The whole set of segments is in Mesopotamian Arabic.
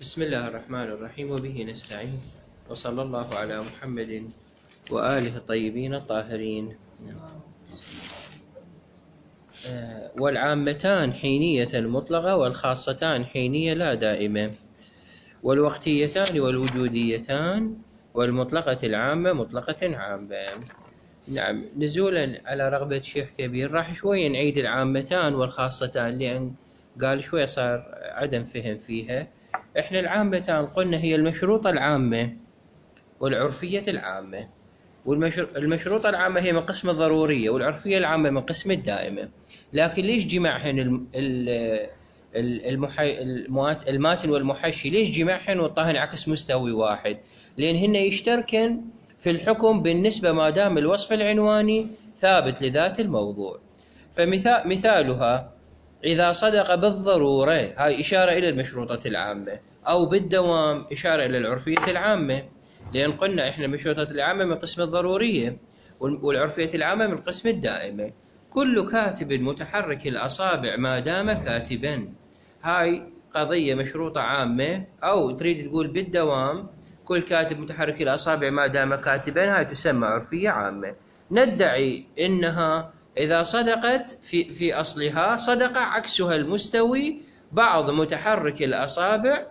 بسم الله الرحمن الرحيم وبه نستعين وصلى الله على محمد وآله الطيبين الطاهرين. والعامتان حينية مطلقة والخاصتان حينية لا دائمة، والوقتيتان والوجوديتان والمطلقة العامة مطلقة عامة. نعم، نزولا على رغبة شيخ كبير راح شوية نعيد العامتان والخاصتان، لأن قال شوية صار عدم فهم فيها. احنا العامتان قلنا هي المشروطة العامة والعرفية العامة، والمشروطة العامة هي من قسم الضرورية، والعرفية العامة من قسم الدائمة. لكن ليش جمعهن الماتن والمحشي؟ ليش جمعهن وطاهن عكس مستوي واحد؟ لأن هن يشتركن في الحكم بالنسبة ما دام الوصف العنواني ثابت لذات الموضوع. فمثالها إذا صدق بالضرورة، هاي إشارة إلى المشروطة العامة، أو بالدوام إشارة إلى العرفية العامة، لأن قلنا إحنا المشروطة العامة من قسم الضرورية والعرفية العامة من قسم الدائمة. كل كاتب متحرك الأصابع ما دام كاتبا، هاي قضية مشروطة عامة، أو تريد تقول بالدوام كل كاتب متحرك الأصابع ما دام كاتبا، هاي تسمى عرفية عامة. ندعي إنها إذا صدقت في أصلها صدق عكسها المستوي، بعض متحرك الأصابع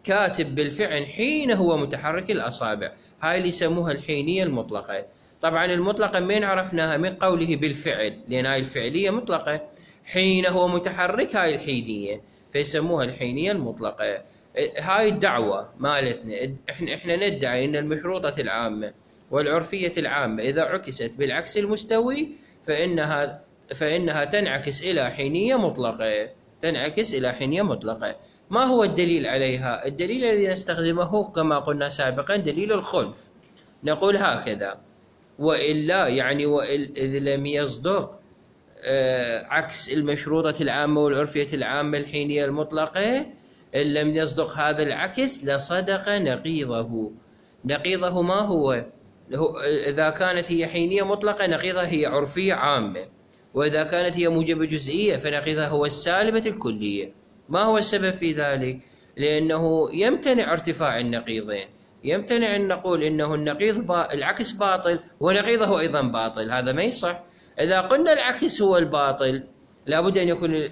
كاتب بالفعل حين هو متحرك الأصابع، هاي اللي يسموها الحينية المطلقة. طبعا المطلقة من عرفناها؟ من قوله بالفعل، لأن هاي الفعلية مطلقة، حين هو متحرك هاي الحينية، فيسموها الحينية المطلقة. هاي الدعوة مالتنا، احنا ندعي ان المشروطة العامة والعرفية العامة إذا عكست بالعكس المستوي فإنها تنعكس إلى حينية مطلقة، تنعكس إلى حينية مطلقة. ما هو الدليل عليها؟ الدليل الذي نستخدمه كما قلنا سابقا دليل الخلف. نقول هكذا: وإلا، يعني إذ لم يصدق عكس المشروطة العامة والعرفية العامة الحينية المطلقة، إن لم يصدق هذا العكس لصدق نقيضه. نقيضه ما هو؟ إذا كانت هي حينية مطلقة نقيضها هي عرفية عامة، وإذا كانت هي موجبة جزئية فنقيضها هو السالبة الكلية. ما هو السبب في ذلك؟ لأنه يمتنع ارتفاع النقيضين، يمتنع أن نقول إنه العكس باطل ونقيضه أيضا باطل، هذا ما يصح. إذا قلنا العكس هو الباطل لابد أن يكون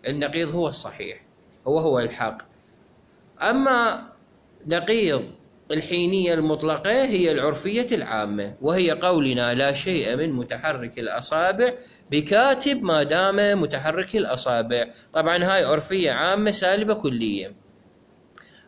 النقيض هو الصحيح، هو الحق. أما نقيض الحينية المطلقة هي العرفية العامة، وهي قولنا لا شيء من متحرك الأصابع بكاتب ما دام متحرك الأصابع. طبعا هاي عرفية عامة سالبة كلية.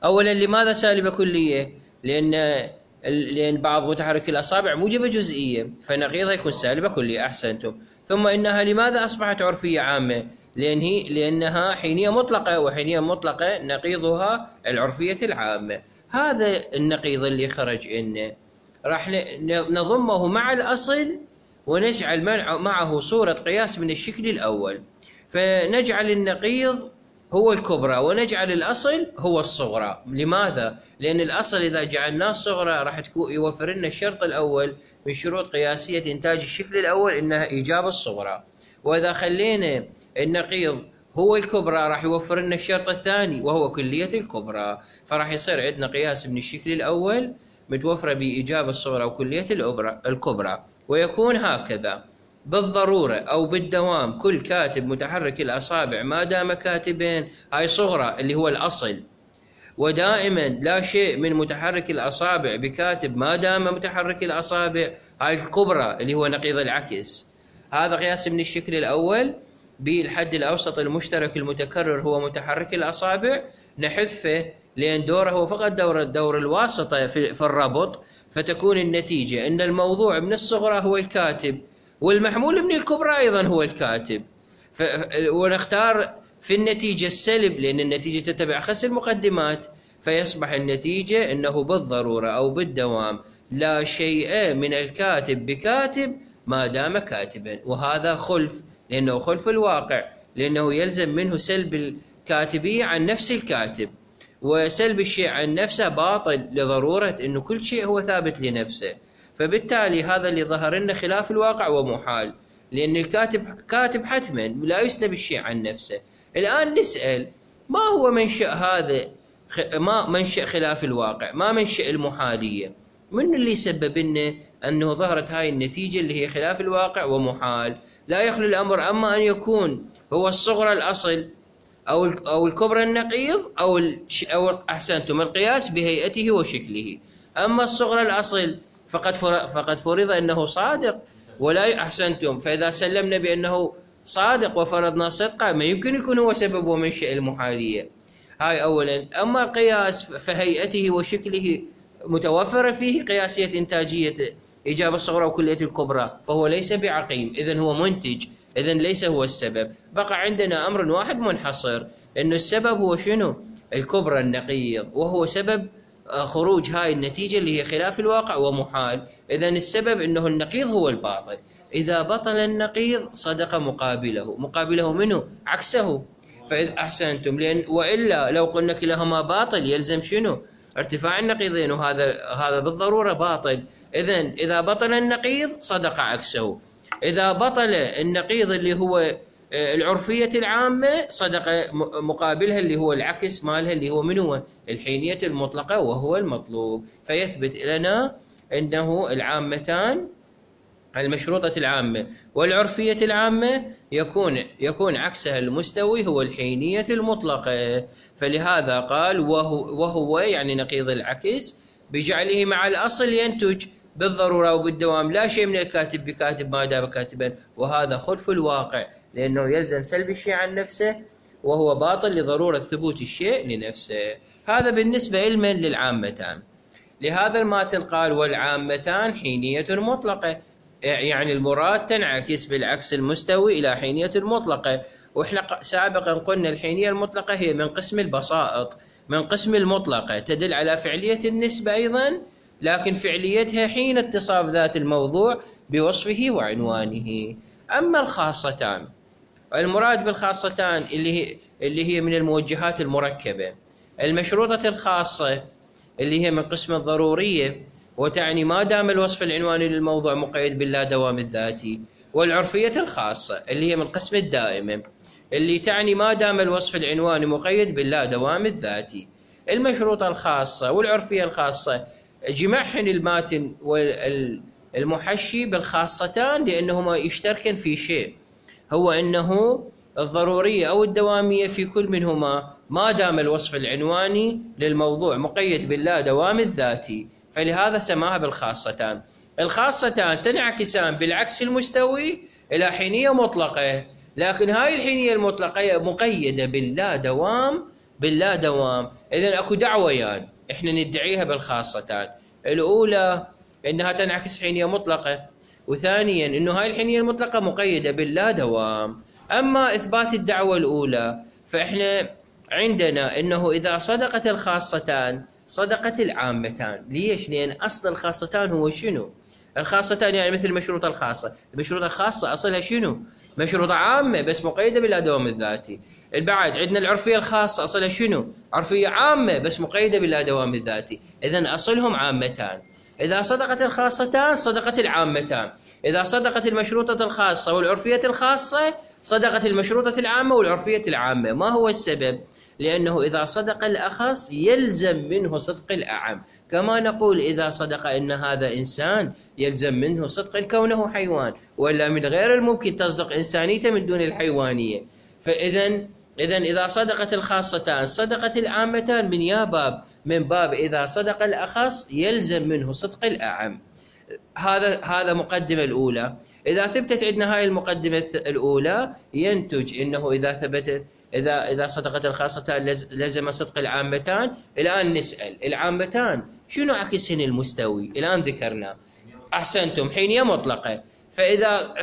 أولا، لماذا سالبة كلية؟ لأن بعض متحرك الأصابع موجبة جزئية، فنقيضها يكون سالبة كلية. أحسنتم. ثم إنها لماذا أصبحت عرفية عامة؟ لأنها حينية مطلقة، وحينية مطلقة نقيضها العرفية العامة. هذا النقيض اللي خرج إنه راح نضمه مع الأصل ونجعل معه صورة قياس من الشكل الأول، فنجعل النقيض هو الكبرى ونجعل الأصل هو الصغرى. لماذا؟ لأن الأصل إذا جعلناه الصغرى راح يوفر لنا الشرط الأول من شروط قياسية إنتاج الشكل الأول، إنها إيجاب الصغرى. وإذا خلينا النقيض هو الكبرى راح يوفر لنا الشرط الثاني وهو كلية الكبرى، فراح يصير عندنا قياس من الشكل الأول متوفرة بإيجاب الصغرى وكلية الكبرى. ويكون هكذا: بالضرورة أو بالدوام كل كاتب متحرك الأصابع ما دام كاتبين، هاي صغرى اللي هو الأصل. ودائما لا شيء من متحرك الأصابع بكاتب ما دام متحرك الأصابع، هاي الكبرى اللي هو نقيض العكس. هذا قياس من الشكل الأول بالحد الأوسط المشترك المتكرر هو متحرك الأصابع، نحذفه لأن دوره هو فقط دور الواسطة في الربط، فتكون النتيجة أن الموضوع من الصغرى هو الكاتب والمحمول من الكبرى أيضا هو الكاتب. ونختار في النتيجة السلب لأن النتيجة تتبع خس المقدمات، فيصبح النتيجة أنه بالضرورة أو بالدوام لا شيء من الكاتب بكاتب ما دام كاتبا. وهذا خلف، لأنه خلف الواقع، لأنه يلزم منه سلب الكاتبية عن نفس الكاتب، وسلب الشيء عن نفسه باطل لضرورة أنه كل شيء هو ثابت لنفسه. فبالتالي هذا اللي ظهر لنا خلاف الواقع ومحال، لأن الكاتب كاتب حتما لا يسلب الشيء عن نفسه. الآن نسأل: ما هو منشأ هذا ما منشأ خلاف الواقع، ما منشأ المحالية. من اللي سبب لنا أنه ظهرت هاي النتيجة اللي هي خلاف الواقع ومحال؟ لا يخلو الأمر أما أن يكون هو الصغرى الأصل أو الكبرى النقيض أو أحسنتم القياس بهيئته وشكله. أما الصغرى الأصل فقد فرض أنه صادق، ولا أحسنتم، فإذا سلمنا بأنه صادق وفرضنا صدقه ما يمكن يكون هو سبب ومنشأ المحالية. هاي أولا. أما القياس فهيئته وشكله متوفرة فيه قياسية إنتاجية إيجاب الصغرى وكلية الكبرى، فهو ليس بعقيم، إذن هو منتج، إذن ليس هو السبب. بقى عندنا أمر واحد منحصر، إنه السبب هو شنو؟ الكبرى النقيض، وهو سبب خروج هاي النتيجة اللي هي خلاف الواقع ومحال. إذن السبب إنه النقيض هو الباطل. إذا بطل النقيض صدق مقابله منه عكسه. فإذا أحسنتم، لأن وإلا لو قلنا كلاهما باطل يلزم شنو؟ ارتفاع النقيضين، وهذا بالضرورة باطل. إذن إذا بطل النقيض صدق عكسه. إذا بطل النقيض اللي هو العرفية العامة صدق مقابلها اللي هو العكس مالها اللي هو من هو؟ الحينية المطلقة، وهو المطلوب. فيثبت لنا أنه العامتان، المشروطة العامة والعرفية العامة، يكون عكسها المستوي هو الحينية المطلقة. فلهذا قال وهو يعني نقيض العكس بجعله مع الأصل ينتج بالضرورة وبالدوام لا شيء من الكاتب بكاتب ما دام كاتبا، وهذا خلف الواقع، لأنه يلزم سلب الشيء عن نفسه، وهو باطل لضرورة ثبوت الشيء لنفسه. هذا بالنسبة علما للعامتان. لهذا الماتن قال والعامتان حينية مطلقة، يعني المراد تنعكس بالعكس المستوي إلى حينية مطلقة. وإحنا سابقا قلنا الحينية المطلقة هي من قسم البسائط، من قسم المطلقة، تدل على فعلية النسبة أيضا، لكن فعليتها حين اتصاف ذات الموضوع بوصفه وعنوانه. أما الخاصتان، المراد بالخاصتان اللي هي من الموجهات المركبة، المشروطة الخاصة اللي هي من قسم الضرورية، وتعني ما دام الوصف العنواني للموضوع مقيد باللا دوام الذاتي، والعرفية الخاصة اللي هي من قسم الدائمة، اللي تعني ما دام الوصف العنواني مقيد باللا دوام الذاتي. المشروطة الخاصة والعرفية الخاصة جمعهن الماتن والمحشي بالخاصتان لأنهما يشتركن في شيء، هو أنه الضرورية أو الدوامية في كل منهما ما دام الوصف العنواني للموضوع مقيد باللا دوام الذاتي، فلهذا سماها بالخاصتان. الخاصتان تنعكسان بالعكس المستوي إلى حينية مطلقة، لكن هاي الحينية المطلقة مقيدة باللا دوام. إذن أكو دعويان إحنا ندعيها بالخاصتان. الأولى إنها تنعكس حينية مطلقة، وثانيا إنه هاي الحينية المطلقة مقيدة باللا دوام. أما إثبات الدعوة الأولى فإحنا عندنا إنه إذا صدقت الخاصتان صدقت العامتان. ليش؟ لأن أصل الخاصتان هو شنو؟ الخاصتان يعني مثل المشروطة الخاصة. المشروطة الخاصة أصلها شنو؟ مشروطة عامة بس مقيدة باللا دوام الذاتي. البعد عندنا العرفية الخاصة أصلها شنو؟ عرفية عامة بس مقيدة باللا دوام الذاتي. إذن أصلهم عامتان. إذا صدقت الخاصتان صدقت العامتان. إذا صدقت المشروطة الخاصة والعرفية الخاصة صدقت المشروطة العامة والعرفية العامة. ما هو السبب؟ لأنه إذا صدق الأخص يلزم منه صدق الأعم، كما نقول إذا صدق إن هذا إنسان يلزم منه صدق كونه حيوان، ولا من غير الممكن تصدق إنسانيته من دون الحيوانية. إذا صدقت الخاصتان صدقت العامتان من باب إذا صدق الأخص يلزم منه صدق الأعم. هذا مقدمة الأولى. إذا ثبتت عندنا هاي المقدمة الأولى ينتج إنه إذا صدقت الخاصتان لزم صدق العامتان. الآن نسأل العامتان شنو عكسهن المستوي؟ الآن ذكرنا أحسنتم حينية مطلقة،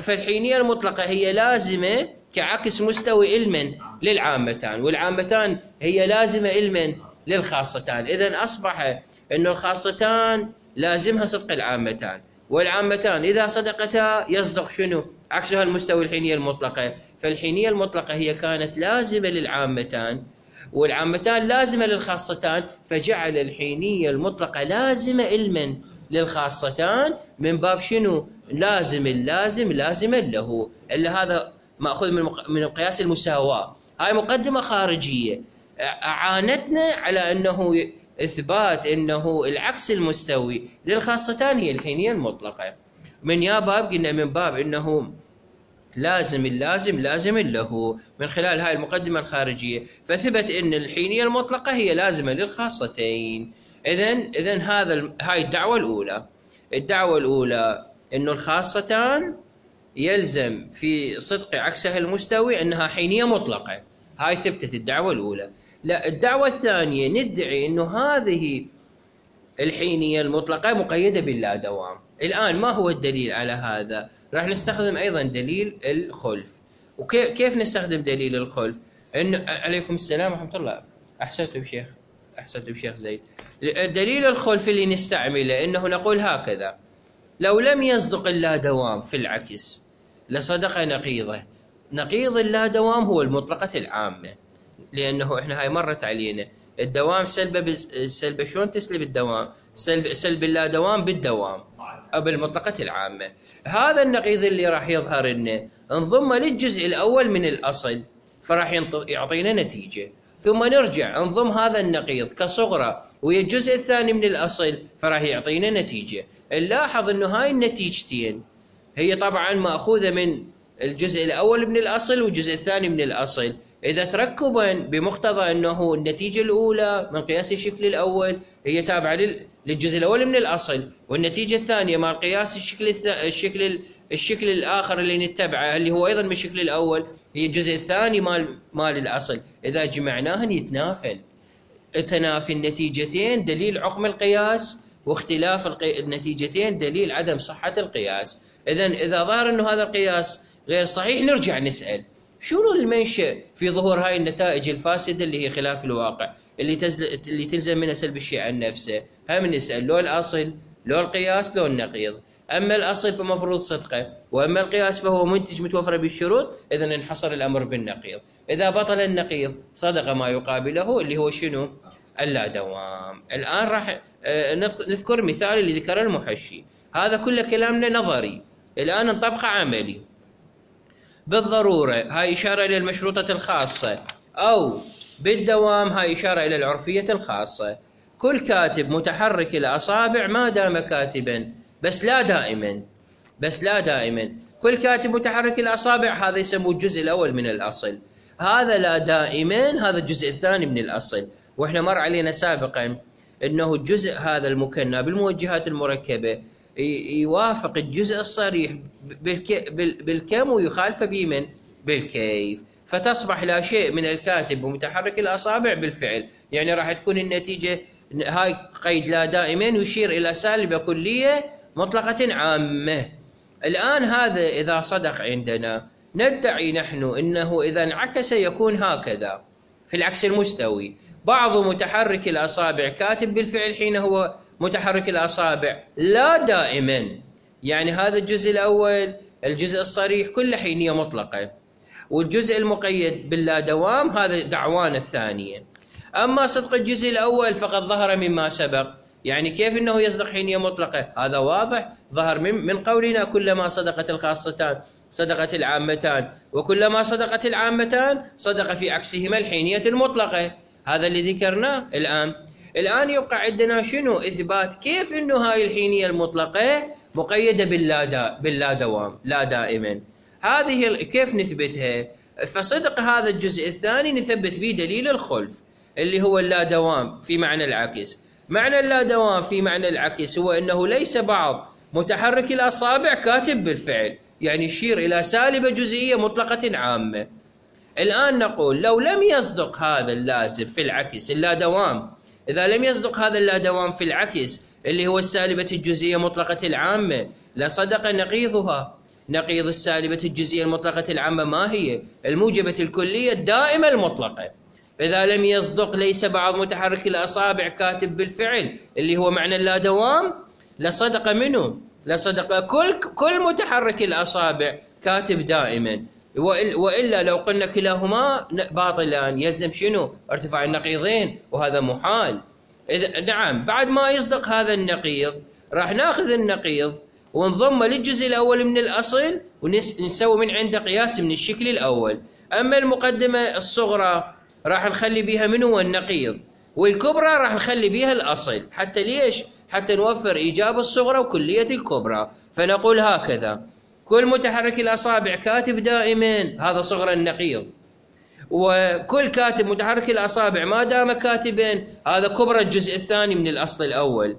فالحينية المطلقة هي لازمة كعكس مستوي علما للعامتان، والعامتان هي لازمة علما للخاصتان. إذن أصبح أن الخاصتان لازمها صدق العامتان، والعامتان إذا صدقتا يصدق شنو؟ عكسها المستوي الحينية المطلقة. فالحينية المطلقة هي كانت لازمة للعامتان، والعامتان لازمة للخاصتان، فجعل الحينية المطلقة لازمة علما للخاصتان من باب شنو؟ لازم اللازم لازما له. إلا هذا مأخوذ من القياس المساواة. هاي مقدمة خارجية. أعانتنا على أنه إثبات أنه العكس المستوي للخاصتان هي الحينية المطلقة. من يا باب قلنا من باب أنه لازم اللازم لازم له من خلال هاي المقدمة الخارجية، فثبت أن الحينية المطلقة هي لازمة للخاصتين. إذن هاي الدعوة الأولى. الدعوة الأولى أنه الخاصتان يلزم في صدق عكسها المستوي أنها حينية مطلقة، هاي ثبتت الدعوة الأولى. لا، الدعوة الثانية ندعي أنه هذه الحينية المطلقة مقيدة باللا دوام. الآن ما هو الدليل على هذا؟ راح نستخدم أيضا دليل الخلف. وكيف نستخدم دليل الخلف؟ إنه عليكم السلام ورحمة الله. أحسنتم شيخ زيد. دليل الخلف اللي نستعمله إنه نقول هكذا: لو لم يصدق اللا دوام في العكس لصدق نقيضه. نقيض اللا دوام هو المطلقة العامة، لأنه إحنا هاي مرت علينا الدوام سلبة شلون تسلب الدوام؟ سلب اللا دوام بالدوام أو بالمطلقة العامة. هذا النقيض اللي راح يظهر لنا انضم للجزء الأول من الأصل فراح يعطينا نتيجة، ثم نرجع انضم هذا النقيض كصغرى ويا الجزء الثاني من الأصل فراح يعطينا نتيجة. نلاحظ أنه هاي النتيجتين هي طبعا مأخوذة من الجزء الأول من الأصل والجزء الثاني من الأصل. إذا تركبا بمقتضى أنه النتيجة الأولى من قياس الشكل الأول هي تابعة للجزء الأول من الأصل، والنتيجة الثانية مع قياس الشكل الآخر اللي نتبعه اللي هو أيضا من الشكل الأول هي الجزء الثاني مال الأصل، إذا جمعناهن يتنافن. تنافي النتيجتين دليل عقم القياس، واختلاف النتيجتين دليل عدم صحة القياس. إذا ظهر أنه هذا القياس غير صحيح نرجع نسأل شنو المنشأ في ظهور هاي النتائج الفاسدة اللي هي خلاف الواقع اللي تلزم منها سلب الشيء عن نفسه. هم نسأل لو الأصل لو القياس لو النقيض. أما الأصل فمفروض صدقه، وأما القياس فهو منتج متوفر بالشروط، إذن انحصر الأمر بالنقيض. إذا بطل النقيض صدق ما يقابله اللي هو شنو؟ اللا دوام. الآن راح نذكر مثال اللي ذكره المحشي. هذا كله كلامنا نظري، الآن نطبقه عملي. بالضرورة هاي إشارة إلى المشروطة الخاصة، أو بالدوام هاي إشارة إلى العرفية الخاصة. كل كاتب متحرك الأصابع ما دام كاتبا، بس لا دائما. كل كاتب متحرك الأصابع هذا يسموه الجزء الأول من الأصل. هذا لا دائما هذا الجزء الثاني من الأصل. وإحنا مر علينا سابقا أنه الجزء هذا المكنى بالموجهات المركبة يوافق الجزء الصريح بالكم ويخالف بمن؟ بالكيف. فتصبح لا شيء من الكاتب ومتحرك الأصابع بالفعل. يعني راح تكون النتيجة هاي قيد لا دائما يشير إلى سالبة كلية مطلقة عامة. الآن هذا إذا صدق عندنا ندعي نحن إنه إذا انعكس يكون هكذا في العكس المستوي: بعض متحرك الأصابع كاتب بالفعل حين هو متحرك الأصابع لا دائما. يعني هذا الجزء الأول الجزء الصريح كله حينية مطلقة، والجزء المقيد باللا دوام هذا دعوانا الثانية. أما صدق الجزء الأول فقد ظهر مما سبق. يعني كيف أنه يصدق حينية مطلقة؟ هذا واضح ظهر من قولنا كلما صدقت الخاصتان صدقت العامتان، وكلما صدقت العامتان صدق في عكسهما الحينية المطلقة. هذا اللي ذكرناه. الآن يبقى عندنا شنو؟ إثبات كيف أنه هاي الحينية المطلقة مقيدة باللا دوام لا دائما. هذه كيف نثبتها؟ فصدق هذا الجزء الثاني نثبت به دليل الخلف اللي هو اللا دوام في معنى العكس. معنى اللا دوام في معنى العكس هو أنه ليس بعض متحرك الأصابع كاتب بالفعل، يعني يشير إلى سالبة جزئية مطلقة عامة. الآن نقول لو لم يصدق هذا اللازم في العكس اللا دوام، إذا لم يصدق هذا اللا دوام في العكس اللي هو السالبة الجزئية مطلقة العامة لصدق نقيضها. نقيض السالبة الجزئية المطلقة العامة ما هي؟ الموجبة الكلية الدائمة المطلقة. إذا لم يصدق ليس بعض متحرك الأصابع كاتب بالفعل اللي هو معنى اللا دوام لصدق منه؟ لصدق كل متحرك الأصابع كاتب دائما. وإلا لو قلنا كلاهما باطلان يلزم شنو؟ ارتفاع النقيضين، وهذا محال. نعم، بعد ما يصدق هذا النقيض راح ناخذ النقيض ونضمه للجزء الأول من الأصل ونسوي من عنده قياس من الشكل الأول. أما المقدمة الصغرى راح نخلي بيها منو النقيض، والكبرى راح نخلي بيها الأصل. حتى ليش؟ حتى نوفر إيجاب الصغرى وكلية الكبرى. فنقول هكذا: كل متحرك الأصابع كاتب دائما، هذا صغرى النقيض. وكل كاتب متحرك الأصابع ما دام كاتبا، هذا كبرى الجزء الثاني من الأصل الأول.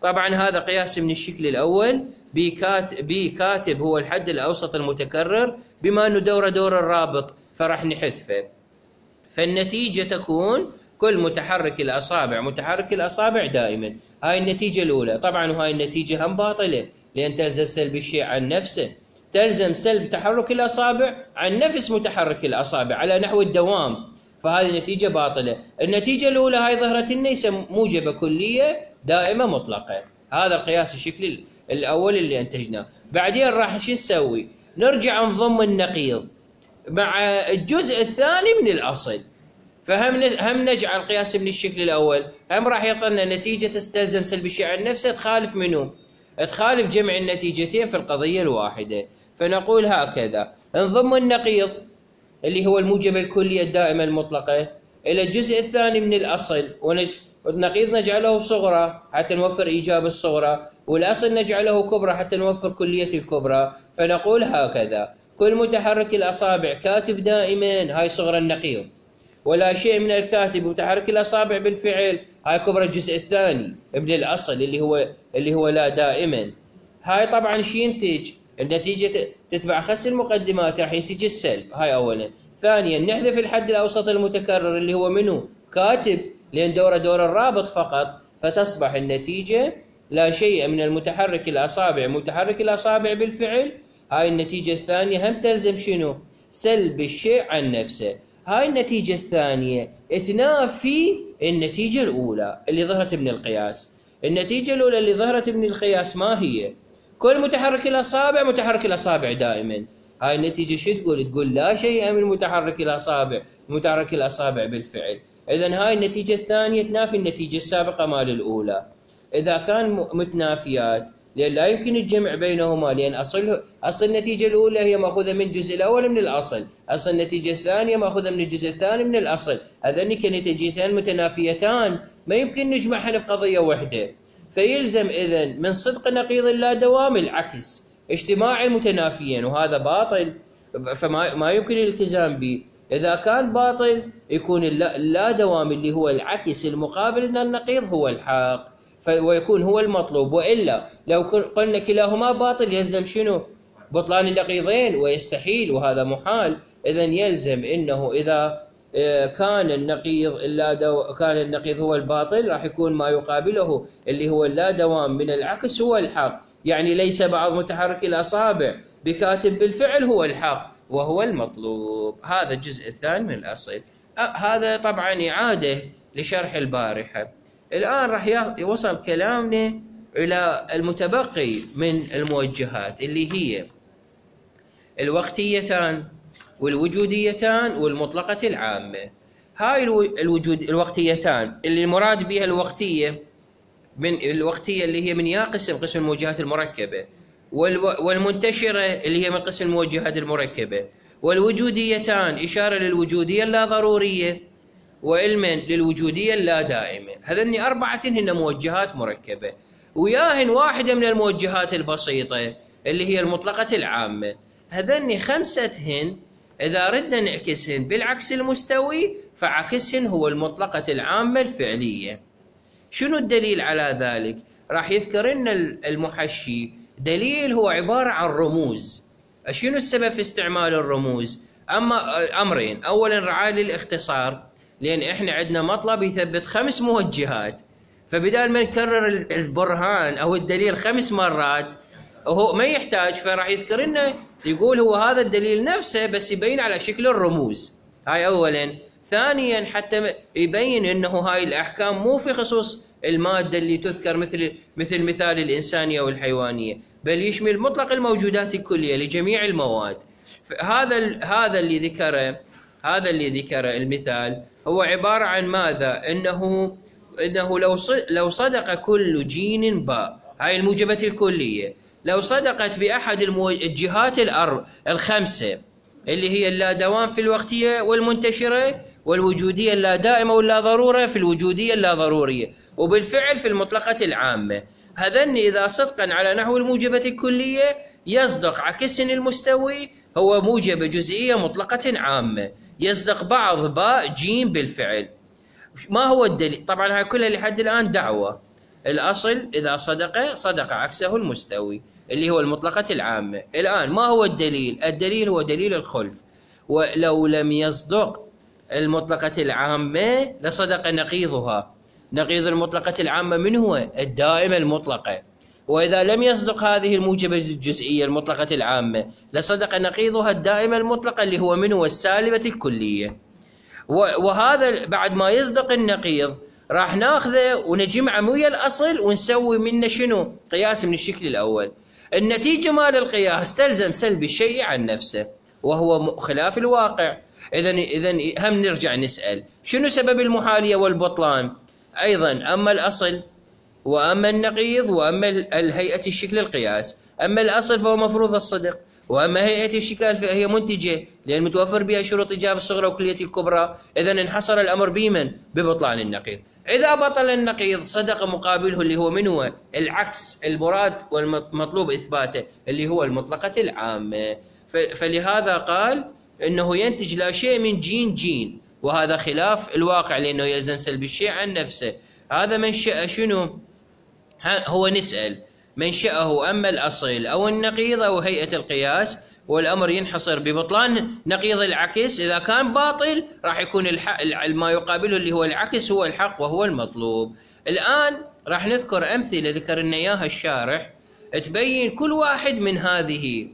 طبعا هذا قياس من الشكل الأول. بكاتب هو الحد الأوسط المتكرر، بما أنه دور الرابط فراح نحذفه. فالنتيجة تكون كل متحرك الأصابع دائما. هاي النتيجة الأولى. طبعا وهاي النتيجة هم باطلة، لأن تلزم سلب الشيء عن نفسه، تلزم سلب تحرك الأصابع عن نفس متحرك الأصابع على نحو الدوام، فهذه النتيجة باطلة. النتيجة الأولى هاي ظهرت لنا موجبة كلية دائمة مطلقة. هذا القياس الشكلي الأول اللي أنتجناه. بعدين راح شو نسوي؟ نرجع نضم النقيض مع الجزء الثاني من الأصل. فهم نجعل قياس من الشكل الأول، هم راح يعطينا نتيجة تستلزم سلب الشيء عن نفسه تخالف منه؟ تخالف جمع النتيجتين في القضية الواحدة. فنقول هكذا: نضم النقيض اللي هو الموجبة الكلية الدائمة المطلقة إلى الجزء الثاني من الأصل، والنقيض نجعله صغرى حتى نوفر إيجاب الصغرى، والأصل نجعله كبرى حتى نوفر كلية الكبرى. فنقول هكذا: كل متحرك الأصابع كاتب دائما، هاي صغرى النقيض، ولا شيء من الكاتب متحرك الأصابع بالفعل، هاي كبرى الجزء الثاني من الأصل اللي هو لا دائما. هاي طبعا شو ينتج؟ النتيجة تتبع خس المقدمات، راح ينتج السلب. هاي أولا. ثانيا نحذف الحد الأوسط المتكرر اللي هو منه كاتب، لأن دور الرابط فقط، فتصبح النتيجة لا شيء من المتحرك الأصابع بالفعل. هاي النتيجة الثانية هم تلزم شنو؟ سلب الشيء عن نفسه. هاي النتيجة الثانية تنافي النتيجة الأولى اللي ظهرت من القياس. النتيجة الأولى اللي ظهرت من القياس ما هي؟ كل متحرك الأصابع دائما. هاي النتيجة شو تقول؟ تقول لا شيء من متحرك الأصابع بالفعل. إذن هاي النتيجة الثانية تنافي النتيجة السابقة مال الأولى. إذا كان متنافيات، لأن لا يمكن الجمع بينهما، لأن أصل النتيجة الأولى هي مأخوذة من الجزء الأول من الأصل، أصل النتيجة الثانية مأخوذة من الجزء الثاني من الأصل. هذين كنتيجتان متنافيتان، ما يمكن نجمعهن بقضية واحدة. فيلزم إذن من صدق نقيض اللا دوام العكس، اجتماع المتنافيين، وهذا باطل، فما يمكن الالتزام به. إذا كان باطل يكون اللا دوام اللي هو العكس المقابل من النقيض هو الحق، ويكون هو المطلوب. وإلا لو قلنا كلاهما باطل يلزم شنو؟ بطلان النقيضين، ويستحيل، وهذا محال. إذن يلزم إنه إذا كان النقيض هو الباطل، راح يكون ما يقابله اللي هو اللا دوام من العكس هو الحق. يعني ليس بعض متحرك الأصابع بكاتب بالفعل هو الحق وهو المطلوب. هذا الجزء الثاني من الأصل. هذا طبعا إعادة لشرح البارحة. الآن راح يوصل كلامنا إلى المتبقي من الموجهات، اللي هي الوقتيتان والوجوديتان والمطلقة العامة. هاي الوقتيتان اللي المراد بها الوقتية اللي هي من قسم الموجهات المركبة، والمنتشرة اللي هي من قسم الموجهات المركبة، والوجوديتان إشارة للوجودية اللا ضرورية، وعلما للوجودية اللا دائمة. هذني أربعة هن موجهات مركبة، وياهن واحدة من الموجهات البسيطة اللي هي المطلقة العامة. هذني خمستهن إذا ردنا نعكسهن بالعكس المستوي، فعكسهن هو المطلقة العامة الفعلية. شنو الدليل على ذلك؟ راح يذكر لنا المحشي دليل هو عبارة عن رموز. شنو السبب في استعمال الرموز؟ أمرين. أولا رعاية للاختصار، لأن إحنا عندنا مطلب يثبت 5 موجهات، فبدال ما نكرر البرهان أو الدليل 5 مرات وهو ما يحتاج، فراح يذكر لنا يقول هو هذا الدليل نفسه بس يبين على شكل الرموز. هاي أولا. ثانيا حتى يبين أنه هاي الأحكام مو في خصوص المادة اللي تذكر مثل مثال الإنسانية والحيوانية، بل يشمل مطلق الموجودات الكلية لجميع المواد. هذا اللي ذكره المثال هو عبارة عن ماذا؟ إنه لو صدق كل جين باء، هاي الموجبة الكلية، لو صدقت بأحد الجهات الخمسة اللي هي اللا دوام في الوقتية والمنتشرة والوجودية اللا دائمة واللا ضرورة في الوجودية اللا ضرورية، وبالفعل في المطلقة العامة. هذن إذا صدقا على نحو الموجبة الكلية يصدق عكسن المستوي هو موجبة جزئية مطلقة عامة، يصدق بعض باء جيم بالفعل. ما هو الدليل؟ طبعا هاي كلها لحد الآن دعوة. الأصل إذا صدق عكسه المستوي اللي هو المطلقة العامة. الآن ما هو الدليل؟ الدليل هو دليل الخلف. ولو لم يصدق المطلقة العامة لصدق نقيضها. نقيض المطلقة العامة من هو؟ الدائمة المطلقة. وإذا لم يصدق هذه الموجبة الجزئية المطلقة العامة لصدق نقيضها الدائمة المطلقة اللي هو من هو؟ السالبة الكلية. وهذا بعد ما يصدق النقيض راح ناخذه ونجمعه ويا الأصل ونسوي منه شنو؟ قياس من الشكل الأول. النتيجة مال القياس تلزم سلب الشيء عن نفسه وهو خلاف الواقع. إذا هم نرجع نسأل شنو سبب المحالية والبطلان؟ أيضا أما الأصل وأما النقيض وأما الهيئة الشكل القياس. أما الأصل فهو مفروض الصدق، وأما هيئة الشكل فهي منتجة لأن متوفر بها شروط إيجاب الصغرى وكلية الكبرى. إذا انحصر الأمر بمن؟ ببطلان النقيض. إذا بطل النقيض صدق مقابله اللي هو من هو؟ العكس المراد والمطلوب إثباته اللي هو المطلقة العامة. فلهذا قال إنه ينتج لا شيء من جين، وهذا خلاف الواقع لأنه يلزم سلب الشيء عن نفسه. هذا منشأ شنو؟ هو نسأل منشأه أما الأصل أو النقيض أو هيئة القياس، والأمر ينحصر ببطلان نقيض العكس. إذا كان باطل راح يكون ما يقابله اللي هو العكس هو الحق وهو المطلوب. الآن راح نذكر أمثلة ذكر لنا إياها الشارح تبين كل واحد من هذه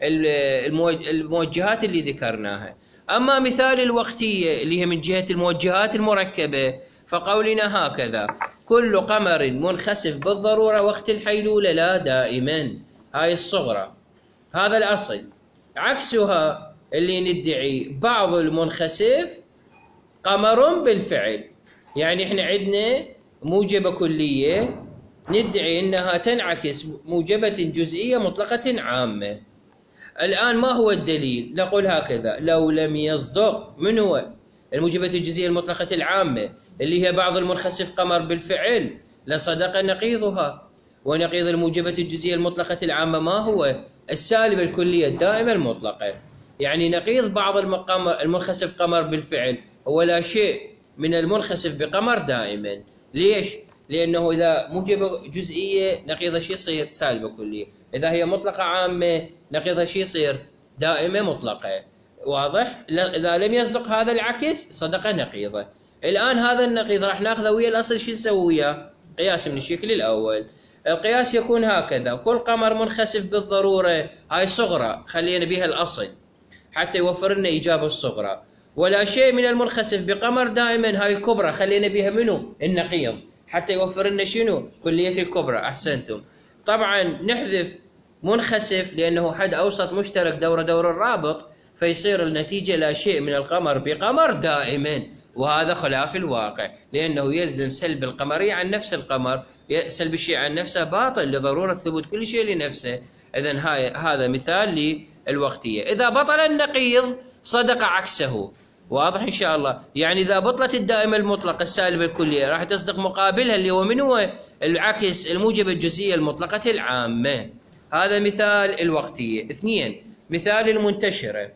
الموجهات اللي ذكرناها. أما مثال الوقتية اللي هي من جهة الموجهات المركبة فقولنا هكذا: كل قمر منخسف بالضرورة وقت الحيلولة لا دائما. هاي الصغرى، هذا الأصل. عكسها اللي ندعي بعض المنخسف قمر بالفعل، يعني احنا عندنا موجبة كلية ندعي انها تنعكس موجبة جزئية مطلقة عامة. الآن ما هو الدليل؟ نقول هكذا: لو لم يصدق من هو؟ الموجبة الجزئية المطلقة العامة اللي هي بعض المنخسف قمر بالفعل لصدق نقيضها. ونقيض الموجبة الجزئية المطلقة العامة ما هو؟ السالبة الكلية الدائمة المطلقة. يعني نقيض بعض المنخسف قمر بالفعل هو لا شيء من المنخسف بقمر دائما. ليش؟ لأنه إذا موجبة جزئية نقيضها شو يصير؟ سالبة كلية. إذا هي مطلقة عامة نقيضها شو يصير؟ دائمة مطلقة. واضح؟ إذا لم يصدق هذا العكس صدق نقيضه. الآن هذا النقيض راح ناخذه ويا الأصل. شو نسوي وياه؟ قياس من الشكل الأول. القياس يكون هكذا: كل قمر منخسف بالضرورة، هاي صغرى خلينا بها الأصل حتى يوفر لنا إجابة الصغرى. ولا شيء من المنخسف بقمر دائما، هاي الكبرى خلينا بها منو؟ النقيض حتى يوفر لنا شنو؟ كلية الكبرى. أحسنتم. طبعا نحذف منخسف لأنه حد أوسط مشترك دور الرابط، فيصير النتيجة لا شيء من القمر بقمر دائما، وهذا خلاف الواقع لأنه يلزم سلب القمرية عن نفس القمر. سلب الشيء عن نفسه باطل لضرورة ثبوت كل شيء لنفسه. إذن هذا مثال للوقتية. إذا بطل النقيض صدق عكسه. واضح إن شاء الله؟ يعني إذا بطلت الدائمة المطلقة السالبة الكلية راح تصدق مقابلها اللي هو من هو؟ العكس الموجبة الجزئية المطلقة العامة. هذا مثال الوقتية. 2. مثال المنتشرة: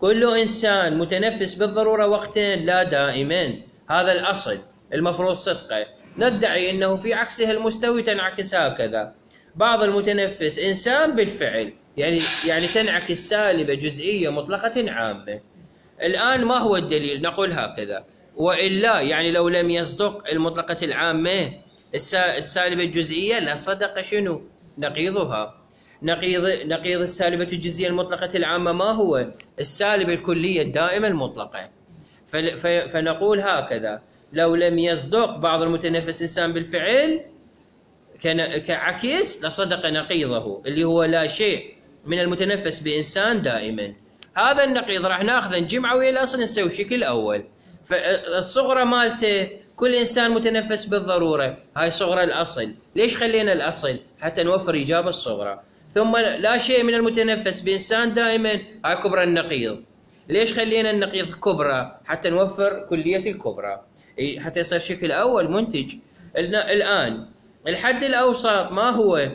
كل إنسان متنفس بالضرورة وقتا لا دائما. هذا الأصل المفروض صدقه. ندعي أنه في عكسها المستوي تنعكس هكذا: بعض المتنفس إنسان بالفعل، يعني تنعكس سالبة جزئية مطلقة عامة. الآن ما هو الدليل؟ نقول هكذا: وإلا يعني لو لم يصدق المطلقة العامة السالبة الجزئية لصدق شنو؟ نقيضها. نقيض السالبة الجزئية المطلقة العامة ما هو؟ السالبة الكلية الدائمة المطلقة. فنقول هكذا: لو لم يصدق بعض المتنفس إنسان بالفعل كعكس لصدق نقيضه اللي هو لا شيء من المتنفس بإنسان دائما. هذا النقيض راح ناخذه نجمعه ويا الأصل نسوي الشكل الأول. فالصغرى مالته كل إنسان متنفس بالضرورة، هاي صغرى الأصل. ليش خلينا الأصل؟ حتى نوفر إجابة الصغرى. ثم لا شيء من المتنفس بإنسان دائما، هاي كبرى النقيض. ليش خلينا النقيض كبرى؟ حتى نوفر كلية الكبرى، حتى يصير شكل أول منتج. الآن الحد الأوسط ما هو؟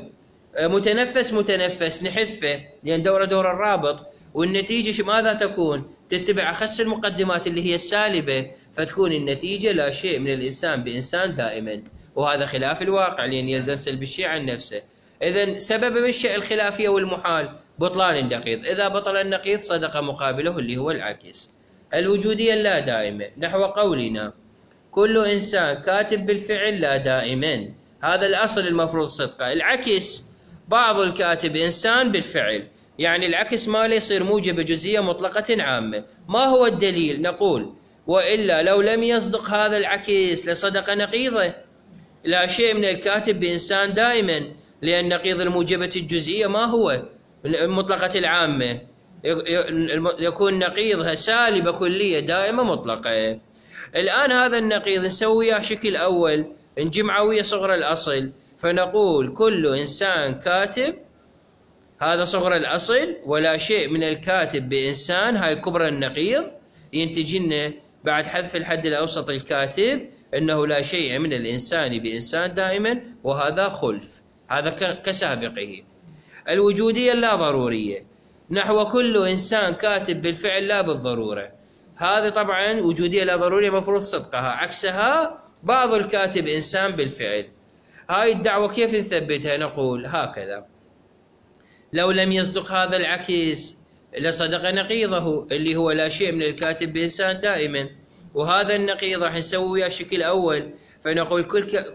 متنفس نحذفه لأن دور الرابط، والنتيجة ماذا تكون؟ تتبع أخس المقدمات اللي هي السالبة، فتكون النتيجة لا شيء من الإنسان بإنسان دائما، وهذا خلاف الواقع لأن يلزم سلب الشيء عن نفسه. إذن سبب منشأ الخلافية والمحال بطلان النقيض، إذا بطل النقيض صدق مقابله اللي هو العكس. الوجودية اللا دائمة نحو قولنا كل إنسان كاتب بالفعل لا دائما، هذا الأصل المفروض صدقه. العكس بعض الكاتب إنسان بالفعل، يعني العكس ماله يصير موجب جزئية مطلقة عامة. ما هو الدليل؟ نقول وإلا لو لم يصدق هذا العكس لصدق نقيضه. لا شيء من الكاتب بإنسان دائما، لأن نقيض الموجبة الجزئية ما هو؟ المطلقة العامة، يكون نقيضها سالبة كلية دائمة مطلقة. الآن هذا النقيض نسويه شكل أول، نجمعه ويا صغر الأصل، فنقول كل إنسان كاتب، هذا صغر الأصل، ولا شيء من الكاتب بإنسان، هاي كبرى النقيض، ينتج لنا بعد حذف الحد الأوسط الكاتب أنه لا شيء من الإنسان بإنسان دائما، وهذا خلف، هذا كسابقه. الوجودية اللا ضرورية نحو كل إنسان كاتب بالفعل لا بالضرورة، هذا طبعا وجودية لا ضرورية مفروض صدقها، عكسها بعض الكاتب إنسان بالفعل. هاي الدعوة كيف نثبتها؟ نقول هكذا: لو لم يصدق هذا العكس لصدق نقيضه اللي هو لا شيء من الكاتب بإنسان دائما، وهذا النقيض راح نسويه شكل أول، فنقول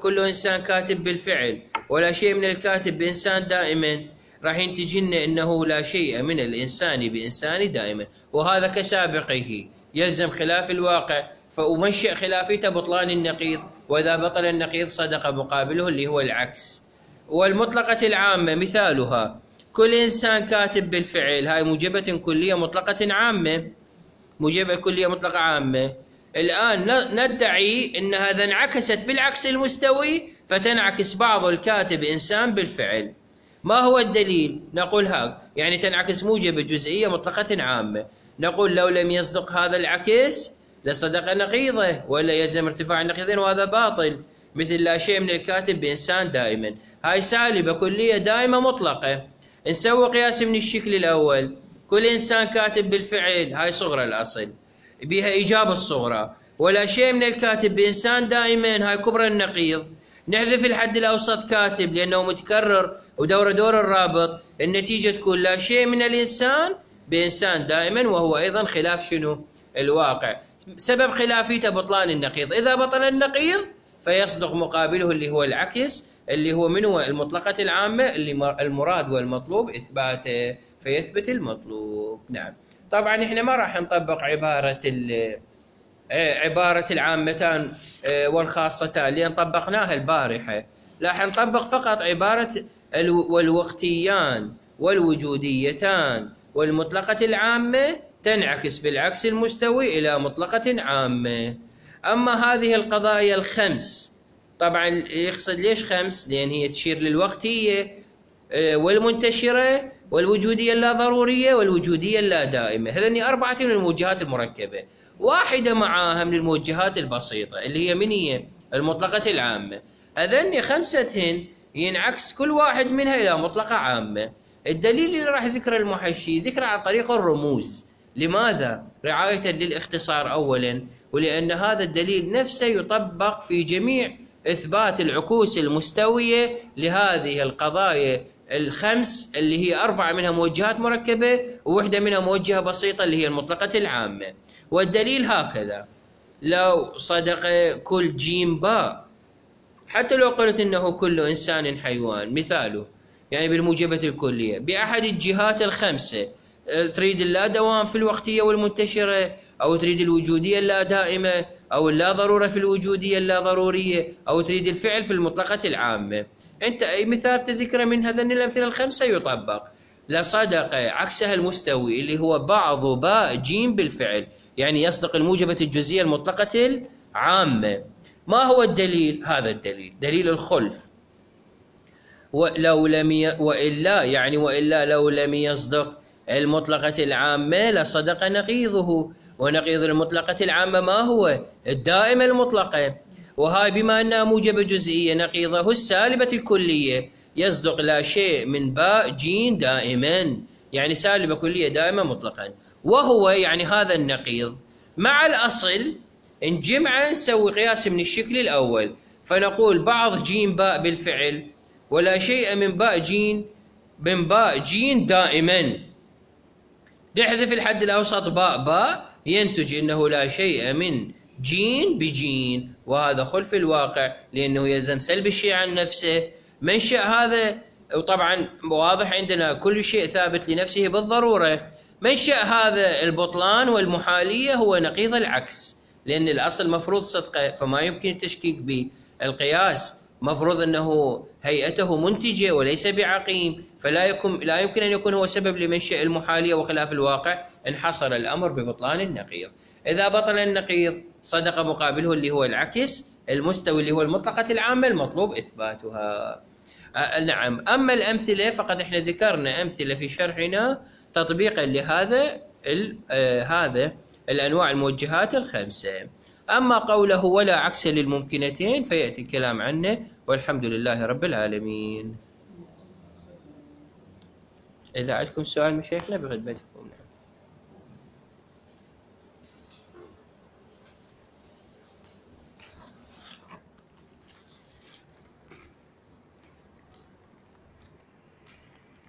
كل إنسان كاتب بالفعل ولا شيء من الكاتب بإنسان دائما، راح ينتج لنا أنه لا شيء من الإنسان بإنسان دائما، وهذا كسابقه يلزم خلاف الواقع، ومنشأ خلافيته بطلان النقيض، وإذا بطل النقيض صدق مقابله اللي هو العكس. والمطلقة العامة مثالها كل إنسان كاتب بالفعل، هاي موجبة كلية مطلقة عامة، موجبة كلية مطلقة عامة. الآن ندعي أن هذا انعكست بالعكس المستوي، فتنعكس بعض الكاتب إنسان بالفعل. ما هو الدليل؟ نقول يعني تنعكس موجبة جزئية مطلقة عامة. نقول لو لم يصدق هذا العكس لصدق نقيضه، ولا يلزم ارتفاع النقيضين، وهذا باطل، مثل لا شيء من الكاتب بإنسان دائما، هاي سالبة كلية دائمة مطلقة. نسوي قياس من الشكل الأول، كل إنسان كاتب بالفعل، هاي صغرى الأصل بها إجابة الصغرى، ولا شيء من الكاتب بإنسان دائما، هاي كبرى النقيض. نحذف الحد الأوسط كاتب لأنه متكرر ودور الرابط، النتيجة تكون لا شيء من الإنسان بإنسان دائما، وهو أيضا خلاف شنو؟ الواقع. سبب خلافيته بطلان النقيض، إذا بطل النقيض فيصدق مقابله اللي هو العكس، اللي هو من هو؟ المطلقة العامة، اللي المراد والمطلوب إثباته، فيثبت المطلوب. نعم، طبعا احنا ما راح نطبق عبارة العامتان والخاصتان لأن طبقناها البارحة، راح نطبق فقط عبارة والوقتيان والوجوديتان والمطلقة العامة تنعكس بالعكس المستوي إلى مطلقة عامة. أما هذه القضايا الخمس، طبعا يقصد ليش خمس؟ لأن هي تشير للوقتية والمنتشرة والوجودية اللا ضرورية والوجودية اللا دائمة، هذني أربعة من الموجهات المركبة، واحدة معاها من الموجهات البسيطة اللي هي من هي؟ المطلقة العامة. هذني خمستهن ينعكس كل واحد منها إلى مطلقة عامة. الدليل اللي راح ذكر المحشي ذكر عن طريق الرموز، لماذا؟ رعاية للاختصار أولا، ولأن هذا الدليل نفسه يطبق في جميع إثبات العكوس المستوية لهذه القضايا الخمس، اللي هي أربعة منها موجهات مركبة ووحدة منها موجهة بسيطة اللي هي المطلقة العامة. والدليل هكذا: لو صدق كل جيم باء، حتى لو قلت إنه كل إنسان حيوان، مثاله يعني بالموجبة الكلية بأحد الجهات الخمسة، تريد اللا دوام في الوقتية والمنتشرة، أو تريد الوجودية اللا دائمة، أو اللا ضرورة في الوجودية اللا ضرورية، أو تريد الفعل في المطلقة العامة، أنت أي مثال تذكره من هذين الأمثلة الخمسة يطبق. لصدق عكسها المستوي اللي هو بعض باء جيم بالفعل، يعني يصدق الموجبة الجزئية المطلقة العامة. ما هو الدليل؟ هذا الدليل دليل الخلف. وإلا لو لم يصدق المطلقة العامة لصدق نقيضه، ونقيض المطلقة العامة ما هو؟ الدائمة المطلقة. وهاي بما أنها موجبة جزئية نقيضه السالبة الكلية، يصدق لا شيء من باء جيم دائما، يعني سالبة كلية دائمة مطلقا. وهو يعني هذا النقيض مع الأصل نجمعه نسوي قياس من الشكل الأول، فنقول بعض جيم باء بالفعل ولا شيء من باء جيم دائما، نحذف الحد الأوسط باء ينتج أنه لا شيء من جين بجين، وهذا خلف الواقع لأنه يلزم سلب الشيء عن نفسه. منشأ هذا، وطبعا واضح عندنا كل شيء ثابت لنفسه بالضرورة، منشأ هذا البطلان والمحالية هو نقيض العكس، لأن الأصل مفروض صدقه فما يمكن التشكيك بالقياس، مفروض أنه هيئته منتجة وليس بعقيم، لا يمكن أن يكون هو سبب لمنشأ المحالية، وخلاف الواقع انحصر الأمر ببطلان النقيض. إذا بطل النقيض صدق مقابله اللي هو العكس المستوي اللي هو المطلقة العامة المطلوب إثباتها. نعم. أما الأمثلة فقد إحنا ذكرنا أمثلة في شرحنا تطبيقا لهذا هذا الأنواع الموجهات الخمسة. أما قوله ولا عكس للممكنتين فيأتي الكلام عنه، والحمد لله رب العالمين. إذا عندكم سؤال مشايخنا بخدمتكم.